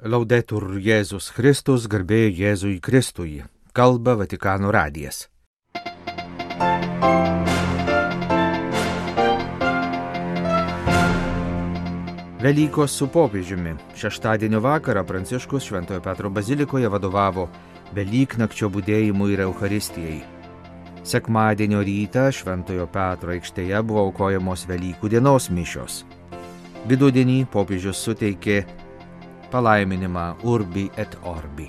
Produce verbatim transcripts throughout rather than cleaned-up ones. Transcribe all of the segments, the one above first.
Laudetur Jėzus Kristus, garbė Jėzui Kristui. Kalba Vatikano radijas. Velykos su popiežiumi. Šeštadienio vakarą Pranciškus Šventojo Petro bazilikoje vadovavo Velyknakčio budėjimui ir Eucharistijai. Sekmadienio rytą Šventojo Petro aikštėje buvo aukojamos Velykų dienos mišios. Vidudienį popiežius suteikė palaiminimą Urbi et Orbi,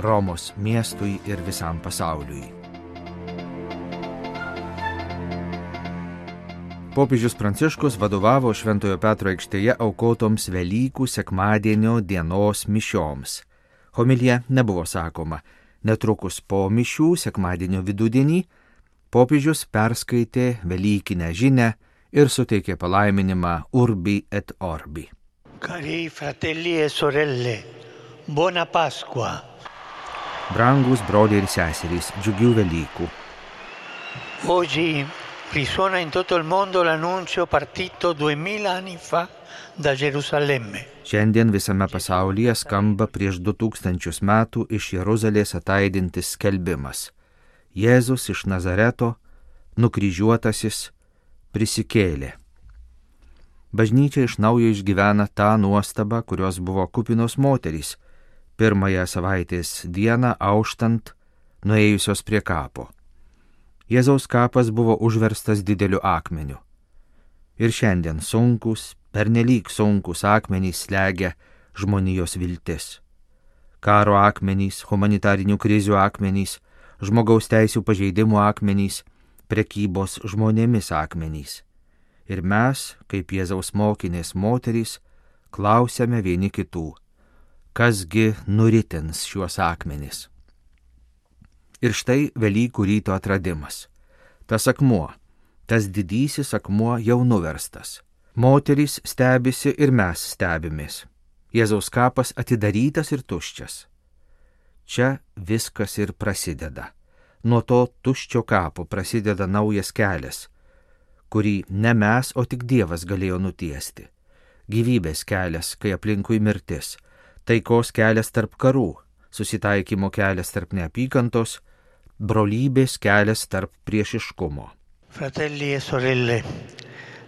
Romos miestui ir visam pasauliui. Popiežius Pranciškus vadovavo Šventojo Petro aikštėje aukotoms Velykų sekmadienio dienos mišioms. Homilija nebuvo sakoma. Netrukus po mišių sekmadienio vidudienį popiežius perskaitė Velykinę žinią ir suteikė palaiminimą Urbi et Orbi. Cari fratelli e sorelle, buona Pasqua. Brangus broliai ir seserys, džiugių Velykų. Oggi risuona in tutto il mondo l'annuncio partito duemila anni fa da Gerusalemme. Šiandien visame pasaulyje skamba prieš du tūkstančius metų iš Jeruzalės ataidintis skelbimas. Jėzus iš Nazareto, nukryžiuotasis, prisikėlė. Bažnyčia iš naujo išgyvena tą nuostabą, kurios buvo kupinos moterys, pirmąją savaitės dieną auštant, nuėjusios prie kapo. Jėzaus kapas buvo užverstas dideliu akmeniu. Ir šiandien sunkus, pernelyg sunkus akmenys slegia žmonijos viltis. Karo akmenys, humanitarinių krizių akmenys, žmogaus teisių pažeidimų akmenys, prekybos žmonėmis akmenys. Ir mes, kaip Jėzaus mokinės moterys, klausiame vieni kitų, kasgi nuritins šiuos akmenis. Ir štai Velykų ryto atradimas. Tas akmuo, tas didysis akmuo jau nuverstas. Moterys stebisi ir mes stebimės. Jėzaus kapas atidarytas ir tuščias. Čia viskas ir prasideda. Nuo to tuščio kapo prasideda naujas kelias, kurį ne mes, o tik Dievas galėjo nutiesti. Gyvybės kelias, kai aplinkui mirtis, taikos kelias tarp karų, susitaikymo kelias tarp neapykantos, brolybės kelias tarp priešiškumo. Fratelli e sorelle,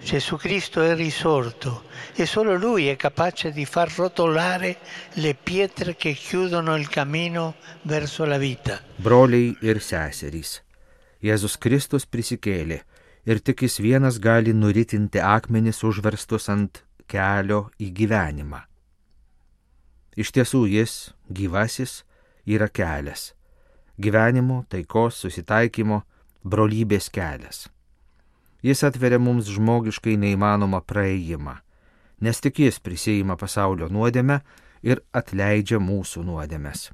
Gesù Cristo è risorto e solo Lui è capace di far rotolare le pietre che chiudono il cammino verso la vita. Broliai ir seserys, Jėzus Kristus prisikėlė. Ir tik jis vienas gali nuritinti akmenis užverstus ant kelio į gyvenimą. Iš tiesų jis, gyvasis, yra kelias. Gyvenimo, taikos, susitaikymo, brolybės kelias. Jis atveria mums žmogiškai neįmanomą praėjimą, nes tik jis prisiima pasaulio nuodėmę ir atleidžia mūsų nuodėmes.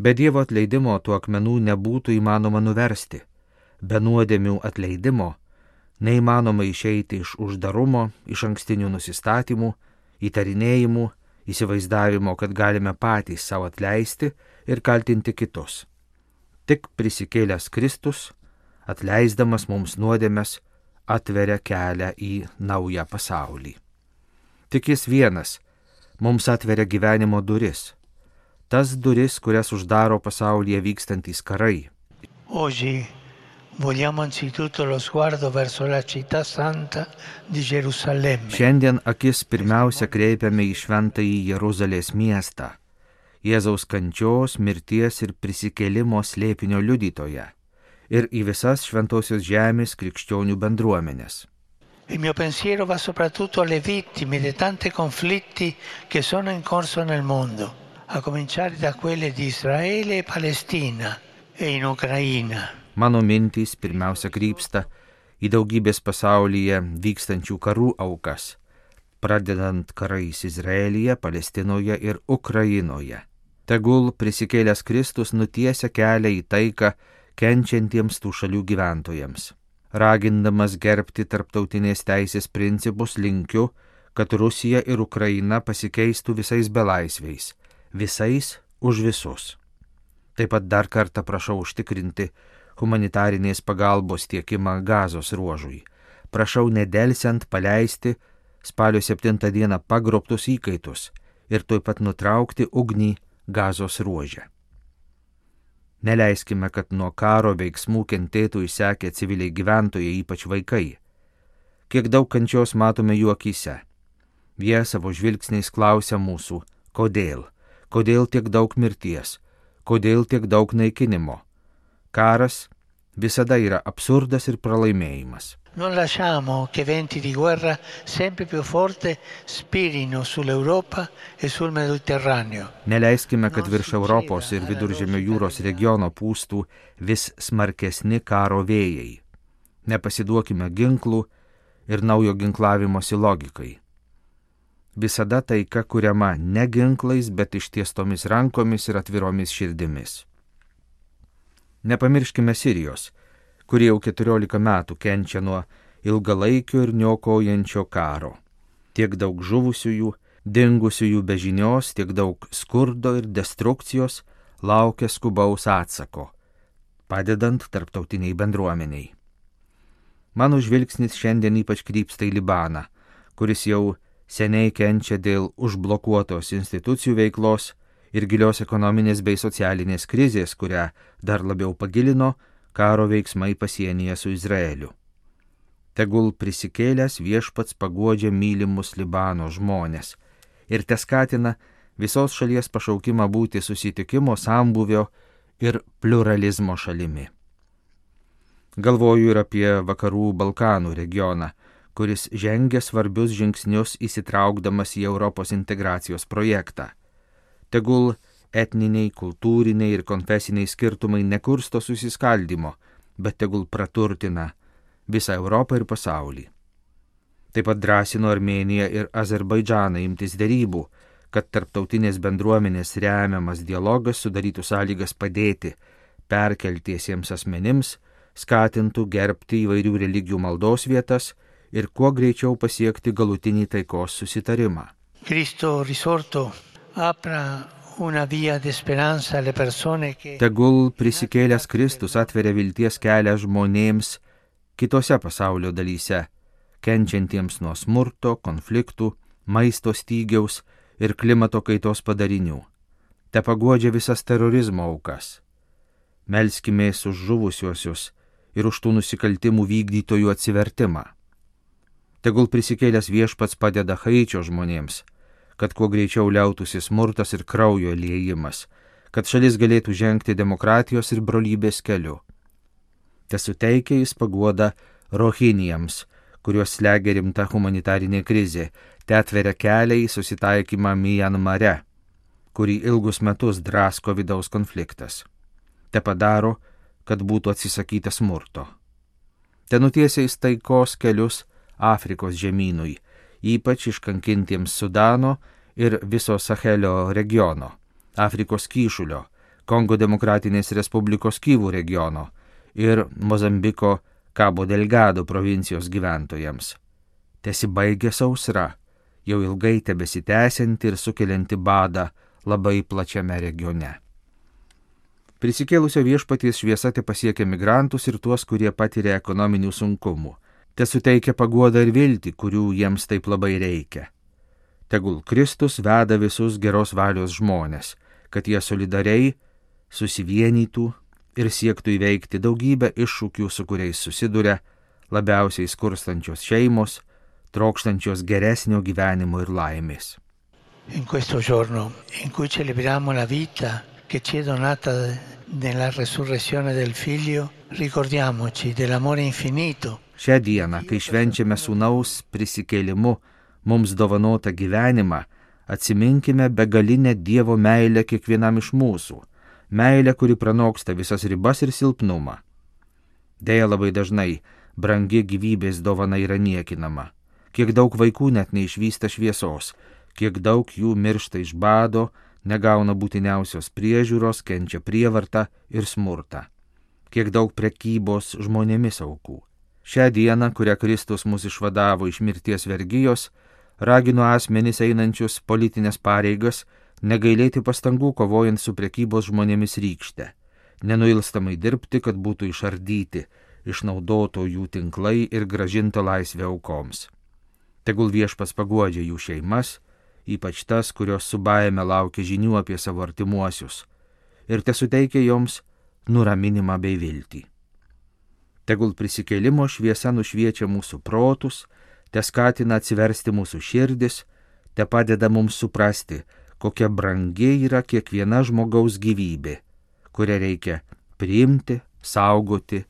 Be Dievo atleidimo tų akmenų nebūtų įmanoma nuversti. Be nuodėmių atleidimo neįmanoma išeiti iš uždarumo, iš ankstinių nusistatymų, įtarinėjimų, įsivaizdavimo, kad galime patys savo atleisti ir kaltinti kitus. Tik prisikėlęs Kristus, atleisdamas mums nuodėmes, atveria kelią į naują pasaulį. Tik jis vienas mums atveria gyvenimo duris, tas duris, kurias uždaro pasaulyje vykstantys karai. Oggi vogliamo anzitutto lo sguardo verso la città santa di Gerusalemme. Šiandien akis pirmiausia kreipiame į šventąjį Jeruzalės miestą, Jėzaus kančios, mirties ir prisikėlimo slėpinio liudytoją, ir į visas šventosios žemės krikščionių bendruomenės. Il mio pensiero va soprattutto alle vittime di tanti conflitti che sono in corso nel mondo, a cominciare da quelle di Israele e Palestina e in Ucraina. Mano mintys pirmiausia krypsta į daugybės pasaulyje vykstančių karų aukas, pradedant karais Izraelyje, Palestinoje ir Ukrainoje. Tegul prisikėlęs Kristus nutiesia kelią į taiką kenčiantiems tų šalių gyventojams. Ragindamas gerbti tarptautinės teisės principus, linkiu, kad Rusija ir Ukraina pasikeistų visais belaisviais, visais už visus. Taip pat dar kartą prašau užtikrinti humanitarinės pagalbos tiekimą Gazos ruožui. Prašau nedelsiant paleisti spalio septintą dieną pagrobtus įkaitus ir tuoj pat nutraukti ugnį Gazos ruože. Neleiskime, kad nuo karo veiksmų kentėtų išsekę civiliai gyventojai, ypač vaikai. Kiek daug kančios matome jų akyse. Jie savo žvilgsniais klausia mūsų, kodėl, kodėl tiek daug mirties, kodėl tiek daug naikinimo. Karas visada yra absurdas ir pralaimėjimas. Non lasciamo che venti di guerra sempre più forte spirino sull'Europa e sul Mediterraneo. Neleiskime, kad virš Europos ir Viduržemio jūros regiono pūstų vis smarkesni karo vėjai. Nepasiduokime ginklų ir naujo ginklavimosi logikai. Visada taika kuriama ne ginklais, bet ištiestomis rankomis ir atviromis širdimis. Nepamirškime Sirijos, kurie jau keturiolika metų kenčia nuo ilgalaikio ir niokojančio karo. Tiek daug žuvusiųjų, dingusiųjų be žinios, tiek daug skurdo ir destrukcijos laukia skubaus atsako, padedant tarptautiniai bendruomeniai. Mano žvilgsnis šiandien ypač krypsta į Libaną, kuris jau seniai kenčia dėl užblokuotos institucijų veiklos ir gilios ekonominės bei socialinės krizės, kurią dar labiau pagilino karo veiksmai pasienyje su Izraeliu. Tegul prisikėlęs viešpats paguodžia mylimus Libano žmonės ir teskatina visos šalies pašaukimą būti susitikimo, sambūvio ir pluralizmo šalimi. Galvoju ir apie vakarų Balkanų regioną, kuris žengia svarbius žingsnius įsitraukdamas į Europos integracijos projektą. Tegul etniniai, kultūriniai ir konfesiniai skirtumai nekursto susiskaldimo, bet tegul praturtina visą Europą ir pasaulį. Taip pat drąsino Armėniją ir Azerbaidžaną imtis derybų, kad tarptautinės bendruomenės remiamas dialogas sudarytų sąlygas padėti perkeltiesiems asmenims, skatintų gerbti įvairių religijų maldos vietas ir kuo greičiau pasiekti galutinį taikos susitarimą. Cristo risorto apra una via di speranza alle persone che... Tegul prisikėlęs Kristus atveria vilties kelią žmonėms kitose pasaulio dalyse, kenčiantiems nuo smurto, konfliktų, maisto stygiaus ir klimato kaitos padarinių. Te paguodžia visas terorizmo aukas. Melskimės už žuvusiuosius ir už tų nusikaltimų vykdytojų atsivertimą. Tegul prisikėlęs viešpats padeda Haičio žmonėms, kad kuo greičiau liautųsi smurtas ir kraujo liejimas, kad šalis galėtų žengti demokratijos ir brolybės keliu. Te suteikia jis paguoda rohinijams, kuriuos slegia rimta humanitarinė krizė, te atveria kelią į susitaikymą Mianmare, kurį ilgus metus drasko vidaus konfliktas. Te padaro, kad būtų atsisakyta smurto. Te nutiesia jis taikos kelius Afrikos žemynui, ypač iškankintiems Sudano ir viso Sahelio regiono, Afrikos kyšulio, Kongo Demokratinės Respublikos Kyvų regiono ir Mozambiko Cabo Delgado provincijos gyventojams. Tesibaigia sausra, jau ilgai tebesitęsianti ir sukelianti badą labai plačiame regione. Prisikėlusio viešpaties šviesa te pasiekia migrantus ir tuos, kurie patiria ekonominių sunkumų. Te suteikia paguodą ir viltį, kurių jiems taip labai reikia. Tegul Kristus veda visus geros valios žmonės, kad jie solidariai susivienytų ir siektų įveikti daugybę iššūkių, su kuriais susiduria labiausiai skurstančios šeimos, trokštančios geresnio gyvenimo ir laimės. In questo giorno in cui celebriamo la vita che ci è donata nella resurrezione del Figlio, ricordiamoci dell'amore infinito. Šią dieną, kai švenčiame sūnaus prisikėlimu mums dovanotą gyvenimą, atsiminkime begalinę Dievo meilę kiekvienam iš mūsų, meilę, kuri pranoksta visas ribas ir silpnumą. Deja, labai dažnai brangi gyvybės dovana yra niekinama. Kiek daug vaikų net neišvysta šviesos, kiek daug jų miršta iš bado, negauna būtiniausios priežiūros, kenčia prievartą ir smurtą. Kiek daug prekybos žmonėmis aukų. Šią dieną, kurią Kristus mus išvadavo iš mirties vergijos, ragino asmenis einančius politinės pareigas negailėti pastangų kovojant su prekybos žmonėmis rykšte, nenuilstamai dirbti, kad būtų išardyti, išnaudotojų tinklai ir grąžinta laisvė aukoms. Tegul viešpats paguodžia jų šeimas ypač tas, kurios su baime laukia žinių apie savo artimuosius, ir tesuteikia joms nuraminimą bei viltį. Tegul prisikėlimo šviesa nušviečia mūsų protus, te skatina atsiversti mūsų širdis, te padeda mums suprasti, kokia brangi yra kiekviena žmogaus gyvybė, kurią reikia priimti, saugoti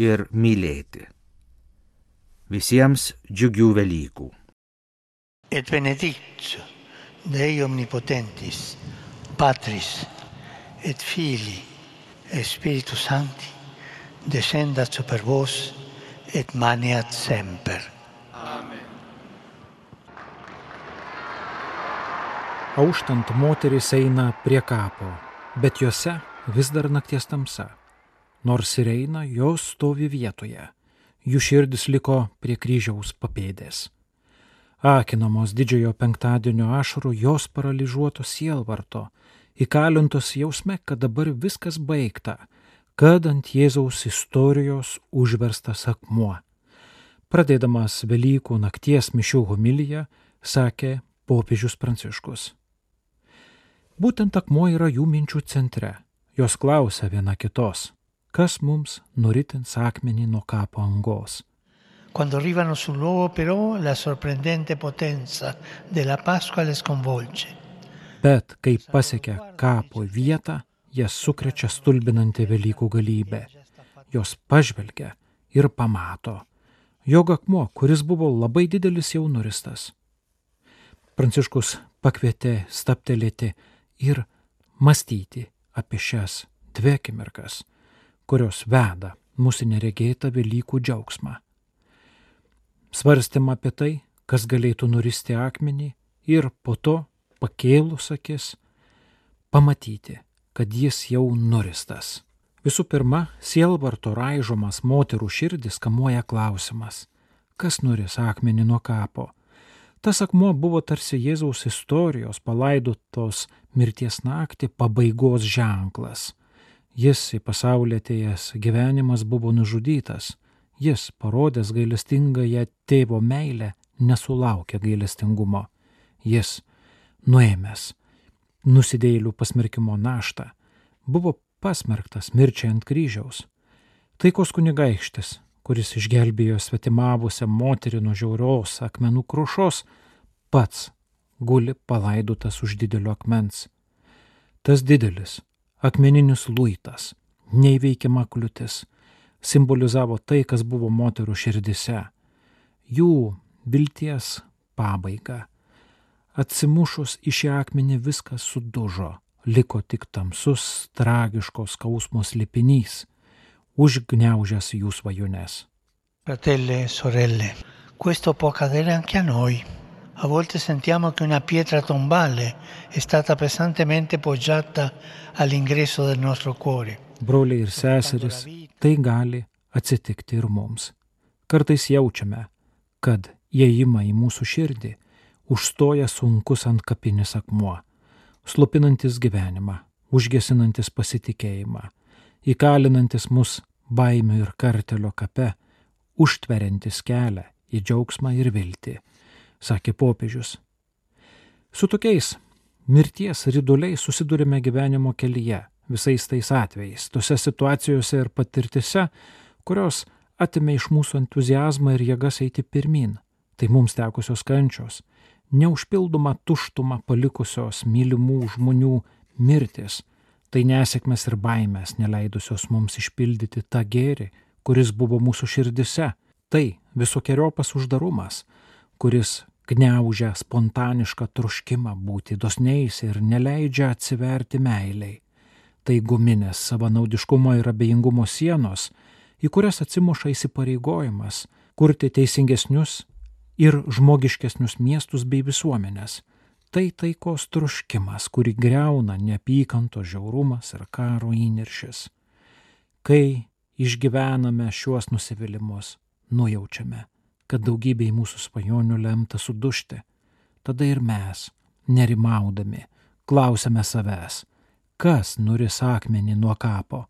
ir mylėti. Visiems džiugių Velykų. Et benedictio Dei omnipotentis, Patris et Filii et Spiritus Sancti, descendat super vos et maneat semper. Amen. Auštant moterys eina prie kapo, bet juose vis dar nakties tamsa. Nors ir eina, jos stovi vietoje. Jų širdis liko prie kryžiaus papėdės. Akinamos didžiojo penktadienio ašarų, jos paralyžiuotos sielvarto, įkalintos jausme, kad dabar viskas baigta, kad ant Jėzaus istorijos užverstas akmuo. Pradėdamas Velykų nakties mišių homiliją, sakė popiežius Pranciškus. Būtent akmuo yra jų minčių centre. Jos klausia viena kitos, kas mums nuritins akmenį nuo kapo angos. Quando arrivano sul luogo però la sorprendente potenza della Pasqua le sconvolge. Bet kai pasiekia kapo vietą, jas sukrečia stulbinanti Velykų galybė. Jos pažvelgia ir pamato, jog akmuo, kuris buvo labai didelis, jau nuristas. Pranciškus pakvietė stabtelėti ir mąstyti apie šias dvi akimirkas, kurios veda mūsų neregėtą Velykų džiaugsmą. Svarstėm apie tai, kas galėtų nuristi akmenį ir po to, pakėlus akis, pamatyti, kad jis jau nuristas. Visų pirma, sielvarto raižomas moterų širdis kamuoja klausimas, kas nuris akmenį nuo kapo. Tas akmuo buvo tarsi Jėzaus istorijos palaidotos mirties naktį pabaigos ženklas. Jis į pasaulį atėjęs gyvenimas buvo nužudytas. Jis, parodęs gailestingąją tėvo meilę, nesulaukė gailestingumo. Jis, nuėmęs nusidėjėlių pasmerkimo naštą, buvo pasmerktas mirčiai ant kryžiaus. Taikos kunigaikštis, kuris išgelbėjo svetimavusią moterį nuo žiaurios akmenų krušos, pats guli palaidotas už didelio akmens. Tas didelis, akmeninis luitas, neįveikiama kliūtis, simbolizavo tai, kas buvo moterų širdise, jų vilties pabaigą. Atsimušus į šį akmenį viskas sudužo, liko tik tamsus, tragiškos skausmo slėpinys, užgniaužęs jų svajones. Fratelli e sorelle, questo può accadere anche a noi. A volte sentiamo che una pietra tombale è stata pesantemente poggiata all'ingresso del nostro cuore. Broliai ir seserys, tai gali atsitikti ir mums. Kartais jaučiame, kad įėjimą į mūsų širdį užstoja sunkus antkapinis akmuo, slopinantis gyvenimą, užgesinantis pasitikėjimą, įkalinantis mus baimių ir kartelio kape, užtveriantis kelią į džiaugsmą ir viltį, sakė popiežius. Su tokiais mirties riduliais susidurime gyvenimo kelyje, visais tais atvejais, tose situacijose ir patirtise, kurios atimė iš mūsų entuziazmą ir jėgas eiti pirmin. Tai mums tekusios kančios, neužpildoma tuštuma palikusios mylimų žmonių mirtis, tai nesėkmės ir baimės neleidusios mums išpildyti tą gėrį, kuris buvo mūsų širdise, tai visokiojopas uždarumas, kuris gniaužia spontanišką troškimą būti dosniais ir neleidžia atsiverti meiliai. Tai guminės savanaudiškumo ir abejingumo sienos, į kurias atsimuša įsipareigojimas kurti teisingesnius ir žmogiškesnius miestus bei visuomenės. Tai taikos troškimas, kurį griauna neapykantos žiaurumas ir karo įniršis. Kai išgyvename šiuos nusivylimus, nujaučiame, kad daugybė mūsų svajonių lemta sudužti. Tada ir mes, nerimaudami, klausiame savęs, kas nuris akmenį nuo kapo.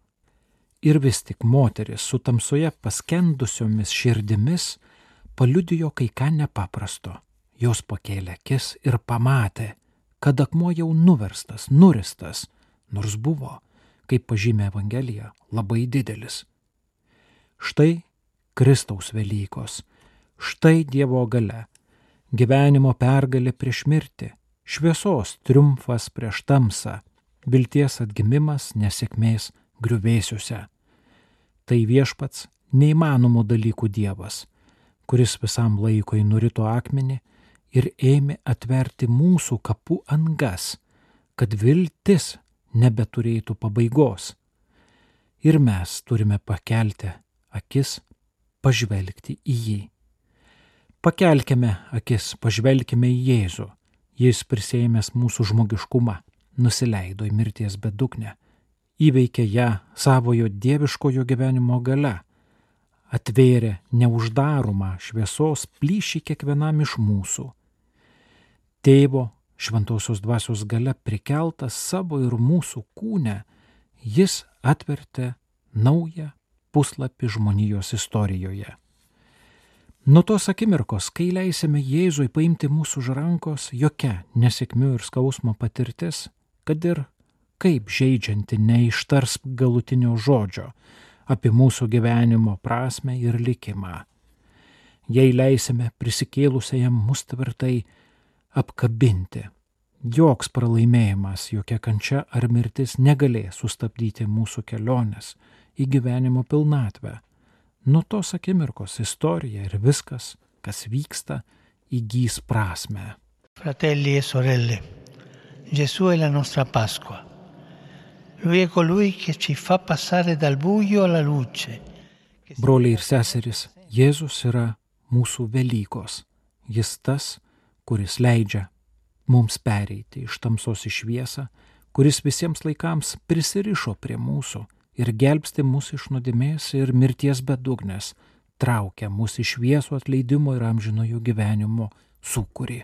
Ir vis tik moteris su tamsoje paskendusiomis širdimis paliudijo kai ką nepaprasto. jos pakėlė akis ir pamatė, kad akmuo jau nuverstas, nuristas, nors buvo, kaip pažymė Evangelija, labai didelis. Štai Kristaus Velykos, štai Dievo galia, gyvenimo pergalė prieš mirtį, šviesos triumfas prieš tamsą, vilties atgimimas nesėkmės griuvėsiuose. Tai viešpats neįmanomų dalykų Dievas, kuris visam laikui nurito akmenį ir ėmė atverti mūsų kapų angas, kad viltis nebeturėtų pabaigos. Ir mes turime pakelti akis, pažvelgti į jį. Pakelkime akis, pažvelkime į Jėzų. Jis prisėmęs mūsų žmogiškumą, nusileido į mirties bedugnę, įveikė ją savojo dieviškojo gyvenimo galia, atvėrė neuždaromą šviesos plyšį kiekvienam iš mūsų. Tėvo šventosios dvasios galia prikeltas savo ir mūsų kūne, jis atvertė naują puslapį žmonijos istorijoje. Nuo tos akimirkos, kai leisime Jėzui paimti mūsų už rankos, jokia nesėkmių ir skausmo patirtis, kad ir kaip žeidžianti neištars galutinio žodžio apie mūsų gyvenimo prasmę ir likimą. Jei leisime prisikėlusiajam mus tvirtai apkabinti, joks pralaimėjimas, jokia kančia ar mirtis negalės sustabdyti mūsų kelionės į gyvenimo pilnatvę. Nuo tos akimirkos istorija ir viskas, kas vyksta, įgys prasmę. Fratelli e sorelle, Gesù è la nostra Pasqua. Lui è colui che ci fa passare dal buio alla luce. Broliai ir seserys, Jėzus yra mūsų Velykos. Jis tas, kuris leidžia mums pereiti iš tamsos į šviesą, kuris visiems laikams prisirišo prie mūsų ir gelbsti mus iš nuodėmės ir mirties bedugnės, traukia mus iš šviesų atleidimo ir amžinojo gyvenimo sūkurį,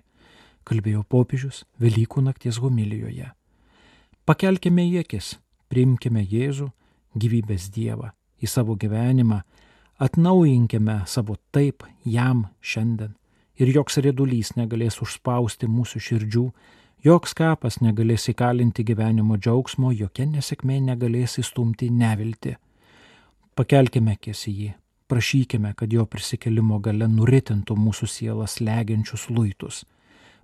kalbėjo popiežius Velykų nakties homilijoje. Pakelkime į akis, priimkime Jėzų, gyvybės Dievą, į savo gyvenimą, atnaujinkime savo taip jam šiandien ir joks riedulys negalės užspausti mūsų širdžių, joks kapas negalės įkalinti gyvenimo džiaugsmo, jokia nesėkmė negalės įstumti neviltį. Pakelkime akis į jį, prašykime, kad jo prisikėlimo galia nuritintų mūsų sielas slegiančius luitus.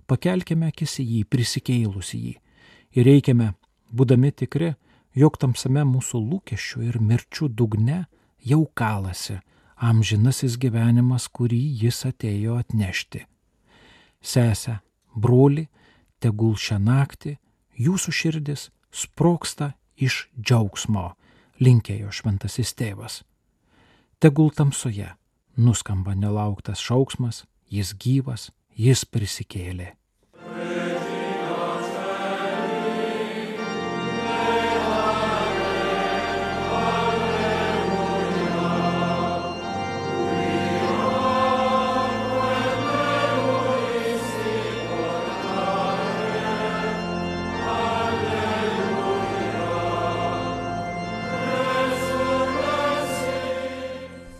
Pakelkime akis į jį, prisikėlus į jį. Ir reikime, būdami tikri, jog tamsame mūsų lūkesčių ir mirčių dugne jau kalasi amžinasis gyvenimas, kurį jis atėjo atnešti. Sese, broli, tegul šią naktį jūsų širdis sprogsta iš džiaugsmo, linkėjo šventasis tėvas. Tegul tamsoje nuskamba nelauktas šauksmas, jis gyvas, jis prisikėlė.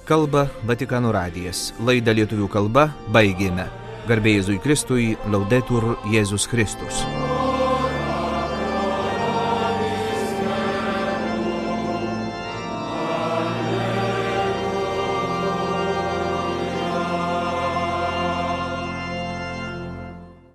Kalba Vatikano radijas. Laidą lietuvių kalba baigėme. Garbė Jėzui Kristui, Laudetur Jėzus Kristus.